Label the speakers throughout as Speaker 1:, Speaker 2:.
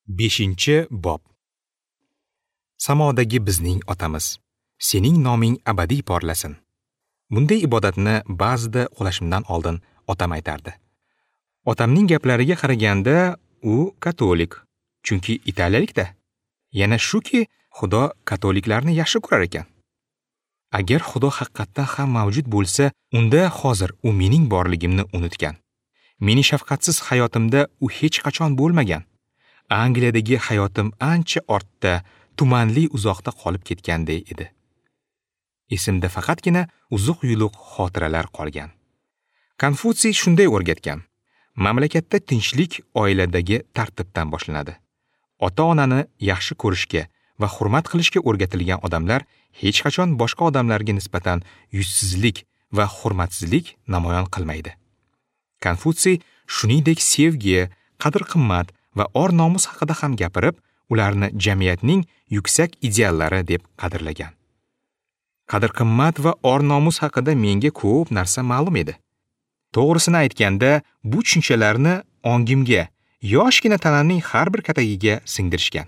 Speaker 1: 5-bob. Samodagi bizning otamiz, sening noming abadiy porlasin. Bunday ibodatni ba'zida uxlashimdan oldin otam aytardi. Otamning gaplariga qaraganda u katolik, chunki italiyalikda. Yana shuki, Xudo katoliklarni yaxshi ko'rar ekan. Agar Xudo haqiqatdan ham mavjud bo'lsa, unda hozir u mening borligimni unutgan. Mening shafqatsiz hayotimda u hech qachon bo'lmagan. Angliyadagi hayotim ancha ortda, tumanli uzoqda qolib ketganday edi. Esimda faqatgina uzuq-yuluq xotiralar qolgan. Konfutsiy shunday o'rgatgan: mamlakatda tinchlik oiladagi tartibdan boshlanadi. Ota-onani yaxshi ko'rishga va hurmat qilishga o'rgatilgan odamlar hech qachon boshqa odamlarga nisbatan yuzsizlik va hurmatsizlik namoyon qilmaydi. Konfutsiy shuningdek sevgi, qadr-qimmat va or-nomus haqida ham gapirib, ularni jamiyatning yuksak ideallari deb qadrlagan. Qadr-qimmat va or-nomus haqida menga ko'p narsa ma'lum edi. To'g'risini aytganda, bu tushunchalarni ongimga, yoshgina tanamning har bir katagiga singdirishgan.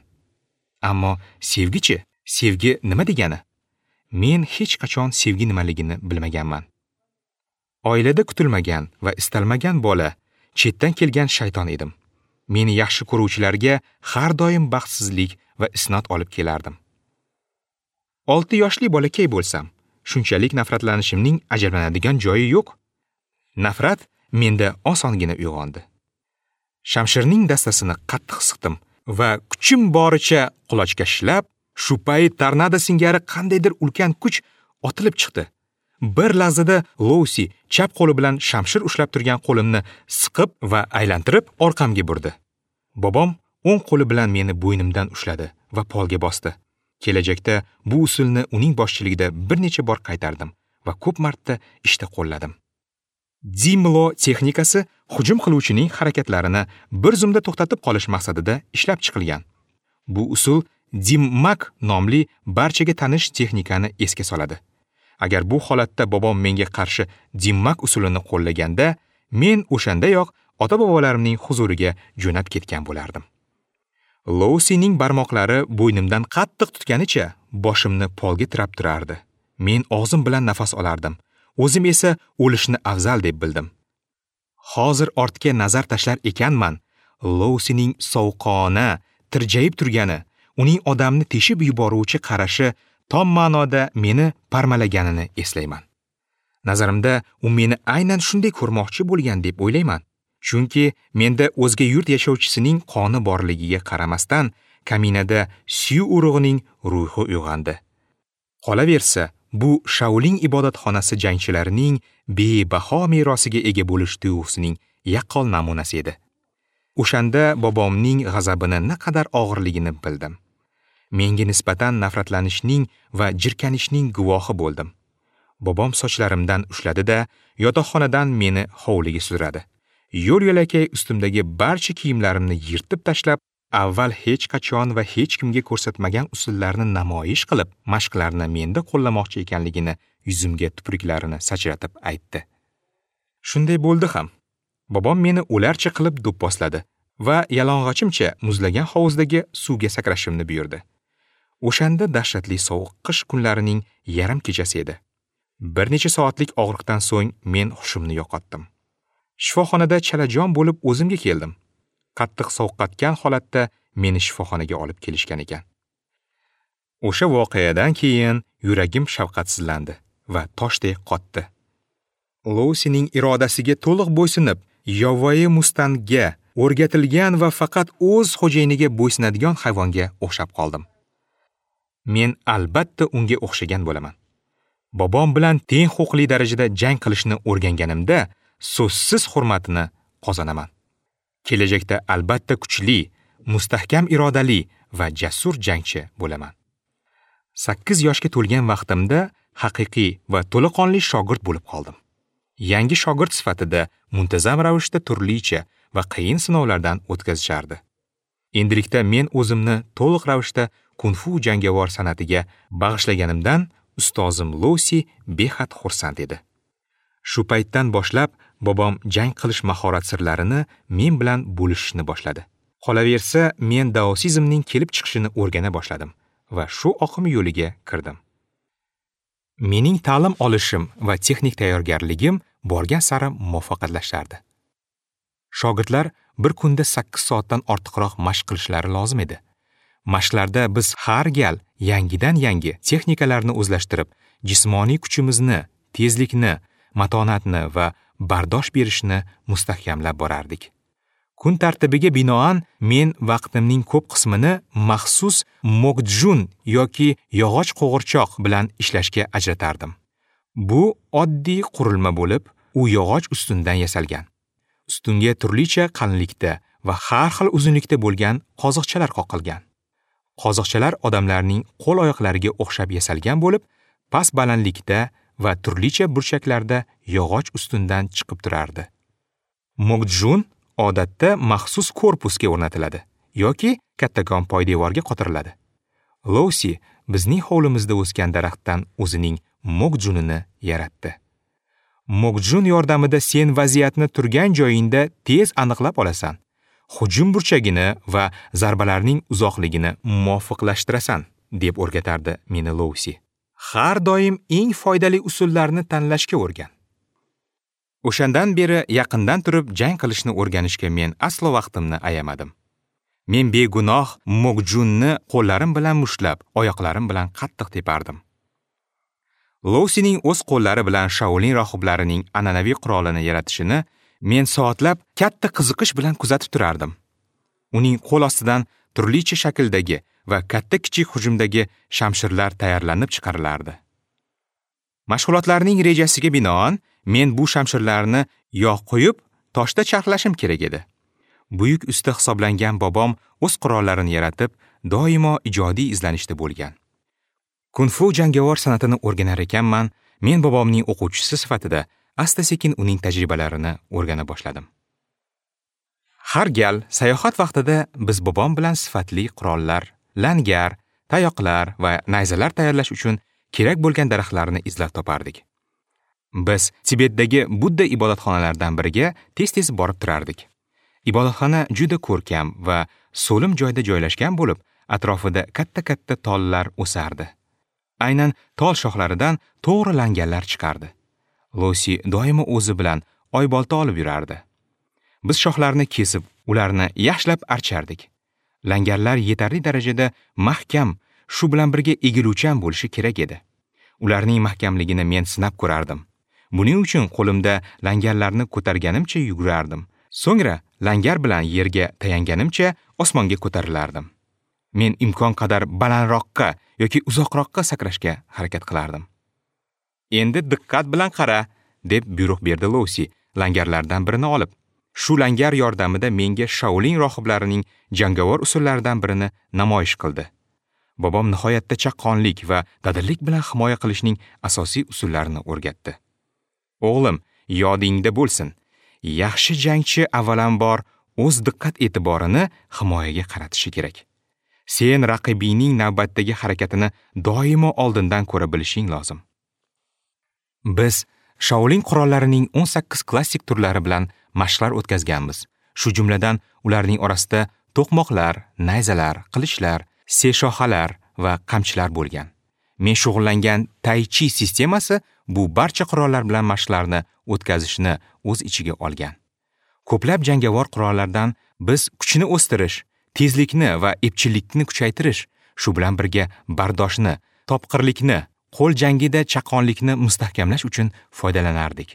Speaker 1: Ammo sevgichi, sevgi nima degani? Men hech qachon sevgi nimaligini bilmaganman. Oilada kutilmagan va istalmagan bola, chetdan kelgan shayton edim. Meni yaxshi ko'ruvchilarga har doim baxtsizlik va isnot olib kelardim. 6 yoshli bolakay bo'lsam, shunchalik nafratlanishimning ajablanadigan joyi yo'q. Nafrat menda osongina uyg'ondi. Shamshirning dastasini qattiq siqdim va kuchim boricha qulochga shilab, shu payt tornado singari qandaydir ulkan kuch otilib chiqdi. Bir lahzada Lousi chap qo'li bilan shamshir ushlab turgan qo'limni siqib va aylantirib orqamga burdi. Bobom o'ng qo'li bilan meni bo'ynimdan ushladi va polga bosdi. Kelajakda bu usulni uning boshchiligida bir necha bor qaytardim va ko'p marta ishda qo'lladim. Dimlo texnikasi hujum qiluvchining harakatlarini bir zumda to'xtatib qolish maqsadida ishlab chiqilgan. Bu usul Dimmak nomli barchaga tanish texnikani esga soladi. Agar bu holatda bobom menga qarshi Dimmak usulini qo'llaganda, men o'shandayoq ota-bobolarimning huzuriga jo'nab ketgan bo'lardim. Lousining barmoqlari bo'ynimdan qattiq tutganicha boshimni polga tirab turardi. Men og'zim bilan nafas olardim. O'zim esa o'lishni afzal deb bildim. Hozir ortga nazar tashlar ekanman, Lousining sovuqqona, tirjayib turgani, uning odamni teshib yuboruvchi qarashi tom ma'noda meni parmalaganini eslayman. Nazarimda u meni aynan shunday ko'rmoqchi bo'lgan deb o'ylayman. Chunki menda o'zga yurt yashovchisining qoni borligiga qaramasdan, kaminada Syu urug'ining ruhi uyg'ondi. Qolaversa, bu Shaolin ibodatxonasi jangchilarining bebaho merosiga ega bo'lish tuyg'usining yaqqol namunasi edi. O'shanda bobomning g'azabini naqadar og'irligini bildim. Menga nisbatan nafratlanishning va jirkanishning guvohi bo'ldim. Bobom sochlarimdan ushladi-da, yotoqxonadan meni hovliga sudradi. Yo'l-yo'lakay ustimdagi barcha kiyimlarimni yirtib tashlab, avval hech qachon va hech kimga ko'rsatmagan usullarni namoyish qilib, mashqlarni menda qo'llamoqchi ekanligini yuzimga tupruklarini sachratib aytdi. Shunday bo'ldi ham. Bobom meni ularcha qilib do'pposladi va yalang'ochimcha muzlagan hovuzdagi suvga sakrashimni buyurdi. O'shanda dahshatli sovuq qish kunlarining yarim kechasi edi. Bir necha soatlik og'riqdan so'ng men hushimni yo'qotdim. Shifoxonada chalajon bo'lib o'zimga keldim. Qattiq sovuqqatgan holatda meni shifoxonaga olib kelishgan ekan. O'sha voqeadan keyin yuragim shafqatsizlandi va toshdek qotdi. Lousining irodasiga to'liq bo'ysunib, yovvoyi mustangga o'rgatilgan va faqat o'z xo'jayiniga bo'ysunadigan hayvonga o'xshab qoldim. Men albatta unga o'xshagan bo'laman. Bobom bilan teng huquqli darajada jang qilishni o'rganganimda so'zsiz hurmatini qozonaman. Kelajakda albatta kuchli, mustahkam irodali va jasur jangchi bo'laman. 8 yoshga to'lgan vaqtimda haqiqiy va to'laqonli shogird bo'lib qoldim. Yangi shogird sifatida muntazam ravishda turlicha va qiyin sinovlardan o'tkazishardi. Endilikda men o'zimni to'liq ravishda kung-fu jangovar san'atiga bag'ishlaganimdan ustozim Lousi behad xursand edi. Shu paytdan boshlab bobom jang qilish mahorat sirlarini men bilan bo'lishishni boshladi. Qolaversa, men daosizmning kelib chiqishini o'rgana boshladim va shu oqim yo'liga kirdim. Mening ta'lim olishim va texnik tayyorgarligim borgan sari muvaffaqiyatlashardi. Shogirdlar bir kunda 8 soatdan ortiqroq mashq qilishlari lozim edi. Mashqlarda biz har gal yangidan yangi texnikalarni o'zlashtirib, jismoniy kuchimizni, tezlikni, matonatni va bardosh berishni mustahkamlab borardik. Kun tartibiga binoan men vaqtimning ko'p qismini maxsus mokjun yoki yog'och qo'g'irchoq bilan ishlashga ajratardim. Bu oddiy qurilma bo'lib, u yog'och ustundan yasalgan. Ustunga turlicha qalinlikda va har xil uzunlikda bo'lgan qoziqchalar qoqilgan. Qoziqchalar odamlarning qo'l-oyoqlariga o'xshab yasalgan bo'lib, past balandlikda va turlicha burchaklarda yog'och ustundan chiqib turardi. Mokjun odatda maxsus korpusga o'rnatiladi yoki kattakon poydevorga qotiriladi. Lousi bizning hovlimizda o'sgan daraxtdan o'zining mokjunini yaratdi. Mokjun yordamida sen vaziyatni turgan joyingda tez aniqlab olasan. Hujum burchagini va zarbalarning uzoqligini muvofiqlashtirasan, deb o'rgatardi meni Lousi. Har doim eng foydali usullarni tanlashga o'rgan. O'shandan beri yaqindan turib jang qilishni o'rganishga men aslo vaqtimni ayamadim. Men begunoh mokjunni qo'llarim bilan mushtlab, oyoqlarim bilan qattiq tepardim. Lousining o'z qo'llari bilan Shaolin rohiblarining an'anaviy qurolini yaratishini men soatlab katta qiziqish bilan kuzatib turardim. Uning qo'l ostidan turlicha shakldagi va katta-kichik hujumdagi shamshirlar tayyorlanib chiqarilardi. Mashg'ulotlarning rejasiga binoan men bu shamshirlarni yog' quyib, toshda charxlashim kerak edi. Buyuk usta hisoblangan bobom o'z qurollarini yaratib, doimo ijodiy izlanishda bo'lgan. Kung-fu jangovar san'atini o'rganar ekanman, men bobomning o'quvchisi sifatida asta-sekin uning tajribalarini o'rgana boshladim. Har gal sayohat vaqtida biz bobom bilan sifatli qurollar, langar, tayoqlar va nayzalar tayyorlash uchun kerak bo'lgan daraxtlarni izlab topardik. Biz Tibetdagi Budda ibodatxonalaridan biriga tez-tez borib turardik. Ibodatxona juda ko'rkam va so'lim joyda joylashgan bo'lib, atrofida katta-katta tollar o'sardi. Aynan tol shoxlaridan to'g'ri langarlar chiqardi. Lousi doimo o'zi bilan oybolta olib yurardi. Biz shoxlarni kesib, ularni yaxshilab archardik. Langarlar yetarli darajada mahkam, shu bilan birga egiluvchan bo'lishi kerak edi. Ularning mahkamligini men sinab ko'rardim. Buning uchun qo'limda langarlarni ko'targanimcha yugurardim. So'ngra langar bilan yerga tayanganimcha osmonga ko'tarilardim. Men imkon qadar balandroqqa yoki uzoqroqqa sakrashga harakat qilardim. Endi diqqat bilan qara, deb buyruq berdi Lousi langarlardan birini olib. Shu langar yordamida menga Shaolin rohiblarining jangovar usullaridan birini namoyish qildi. Bobom nihoyatda chaqqonlik va dadillik bilan himoya qilishning asosiy usullarini o'rgatdi. O'g'lim, yodingda bo'lsin. Yaxshi jangchi avvalambor o'z diqqat-e'tiborini himoyaga qaratishi kerak. Sen raqibingning navbatdagi harakatini doimo oldindan ko'ra bilishing lozim. Biz Shaolin qurollarining 18 klassik turlari bilan mashqlar o'tkazganmiz. Shu jumladan ularning orasida to'qmoqlar, nayzalar, qilichlar, seshoxalar va qamchilar bo'lgan. Men shug'ullangan Tai Chi sistemasi bu barcha qurollar bilan mashqlarni o'tkazishni o'z ichiga olgan. Ko'plab jangovar qurollardan biz kuchni o'stirish, tezlikni va epchillikni kuchaytirish, shu bilan birga bardoshni, topqirlikni, qo'l jangida chaqqonlikni mustahkamlash uchun foydalanardik.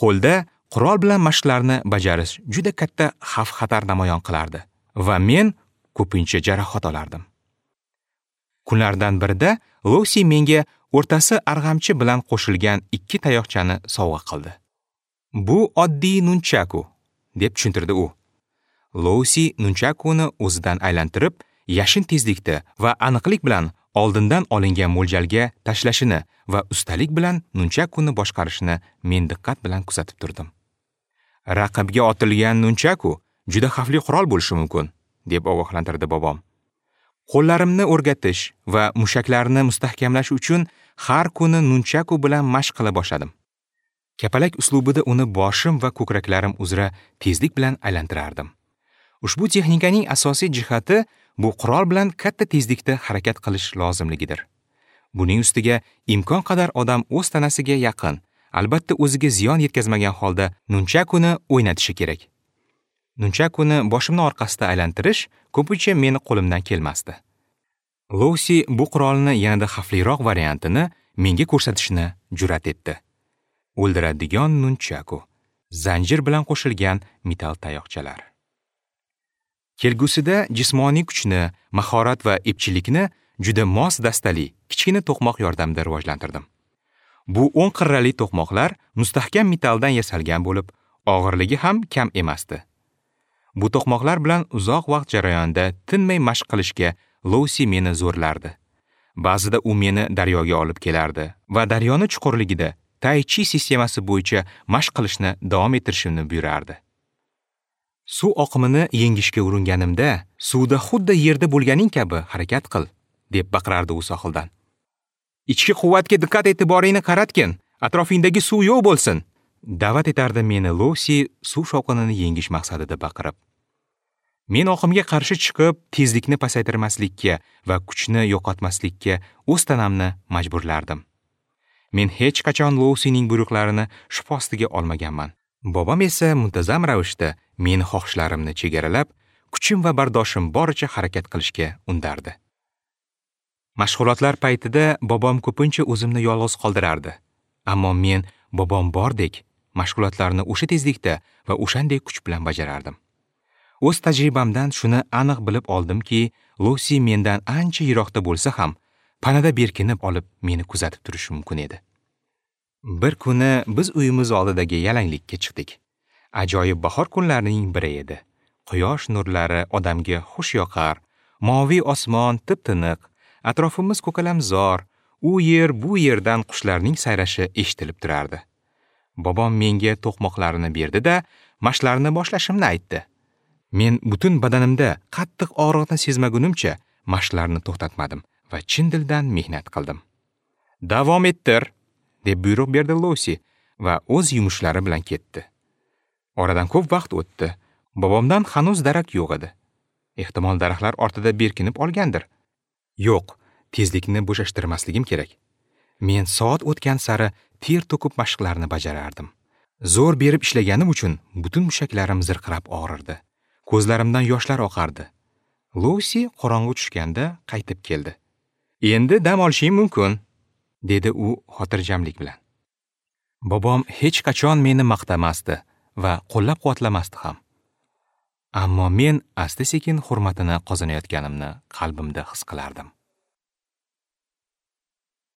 Speaker 1: Qo'lda qurol bilan mashqlarni bajarish juda katta xavf-xatar namoyon qilardi va men ko'pincha jarohat olardim. Kunlardan birida Lousi menga o'rtasi arg'amchi bilan qo'shilgan 2 tayoqchani sovg'a qildi. Bu oddiy nunchaku, deb tushuntirdi u. Lousi nunchakuni o'zidan aylantirib, yashin tezlikda va aniqlik bilan oldindan olingan mo'ljalga tashlashini va ustalik bilan nunchakuni boshqarishini men diqqat bilan kuzatib turdim. Raqibga otilgan nunchaku juda xavfli qurol bo'lishi mumkin, deb ogohlantirdi bobom. Qo'llarimni o'rgatish va mushaklarni mustahkamlash uchun har kuni nunchaku bilan mashq qila boshladim. Kapalak uslubida uni boshim va ko'kraklarim uzra tezlik bilan aylantirardim. Ushbu texnikaning asosiy jihati bu qurol bilan katta tezlikda harakat qilish lozimligidir. Buning ustiga imkon qadar odam o'z tanasiga yaqin, albatta o'ziga ziyon yetkazmagan holda nunchakuni o'ynatishi kerak. Nunchakuni boshimni orqasida aylantirish ko'pincha meni qo'limdan kelmasdi. Lousi bu qurolni yanada xavfliroq variantini menga ko'rsatishni jur'at etdi. O'ldiradigan nunchaku, zanjir bilan qo'shilgan metal tayoqchalar. Kelgusida jismoniy kuchni, mahorat va epchillikni juda mos dastali kichkina to'qmoq yordamida rivojlantirdim. Bu 10 qirrali to'qmoqlar mustahkam metaldan yasalgan bo'lib, og'irligi ham kam emasdi. Bu to'qmoqlar bilan uzoq vaqt jarayonida tinmay mashq qilishga Lousi meni zo'rlardi. Ba'zida u meni daryoga olib kelardi va daryoni chuqurligida Tai Chi sistemasi bo'yicha mashq qilishni davom ettirishimni buyurardi. Suv oqimini yengishga uringanimda, suvda xuddi yerda bo'lganing kabi harakat qil, deb baqirardi u sohildan. Ichki quvvatga diqqat e'tiboringni qaratgin, atrofingdagi suv yo'q bo'lsin, da'vat etardi meni Lousi suv shovqinini yengish maqsadida baqirib. Men oqimga qarshi chiqib, tezlikni pasaytirmaslikka va kuchni yo'qotmaslikka o'z tanamni majburlardim. Men hech qachon Lousining buyruqlarini shubha ostiga olmaganman. Bobom esa muntazam ravishda meni xohishlarimni chegaralab, kuchim va bardoshim boricha harakat qilishga undardi. Mashg'ulotlar paytida bobom ko'pincha o'zimni yolg'iz qoldirardi. Ammo men bobom bordek mashg'ulotlarni o'sha tezlikda va o'shanday kuch bilan bajarardim. O'z tajribamdan shuni aniq bilib oldimki, Lousi mendan ancha yiroqda bo'lsa ham, panada berkinib olib meni kuzatib turishi mumkin edi. Bir kuni biz uyimiz oldidagi yalanglikka chiqdik. Ajoyib bahor kunlarining biri edi. Quyosh nurlari odamga xush yoqar, moviy osmon tip-tiniq, atrofimiz ko'kalamzor, u yer bu yerdan qushlarning sayrashi eshitilib turardi. Bobom menga to'qmoqlarini berdi-da, mashqlarni boshlashimni aytdi. Men butun badanimda qattiq og'riqni sezmagunimcha mashqlarni to'xtatmadim va chin dildan mehnat qildim. "Davom ettir", deb buyruq berdi Lousi va o'z yumushlari bilan ketdi. Oradan ko'p vaqt o'tdi. Bobomdan hanuz darak yo'q edi. Ehtimol daraxtlar ortida berkinib olgandir. Yo'q, tezlikni bo'shashtirmasligim kerak. Men soat o'tgan sari ter to'kib mashqlarni bajarardim. Zo'r berib ishlaganim uchun butun mushaklarim zirqirab og'rirdi. Ko'zlarimdan yoshlar oqardi. Lousi qorong'u tushganda qaytib keldi. "Endi dam olishing mumkin", dedi u xotirjamlik bilan. Bobom hech qachon meni maqtamasdi va qo'llab-quvvatlamasdi ham. Ammo men asta-sekin hurmatini qozonayotganimni qalbimda his qilardim.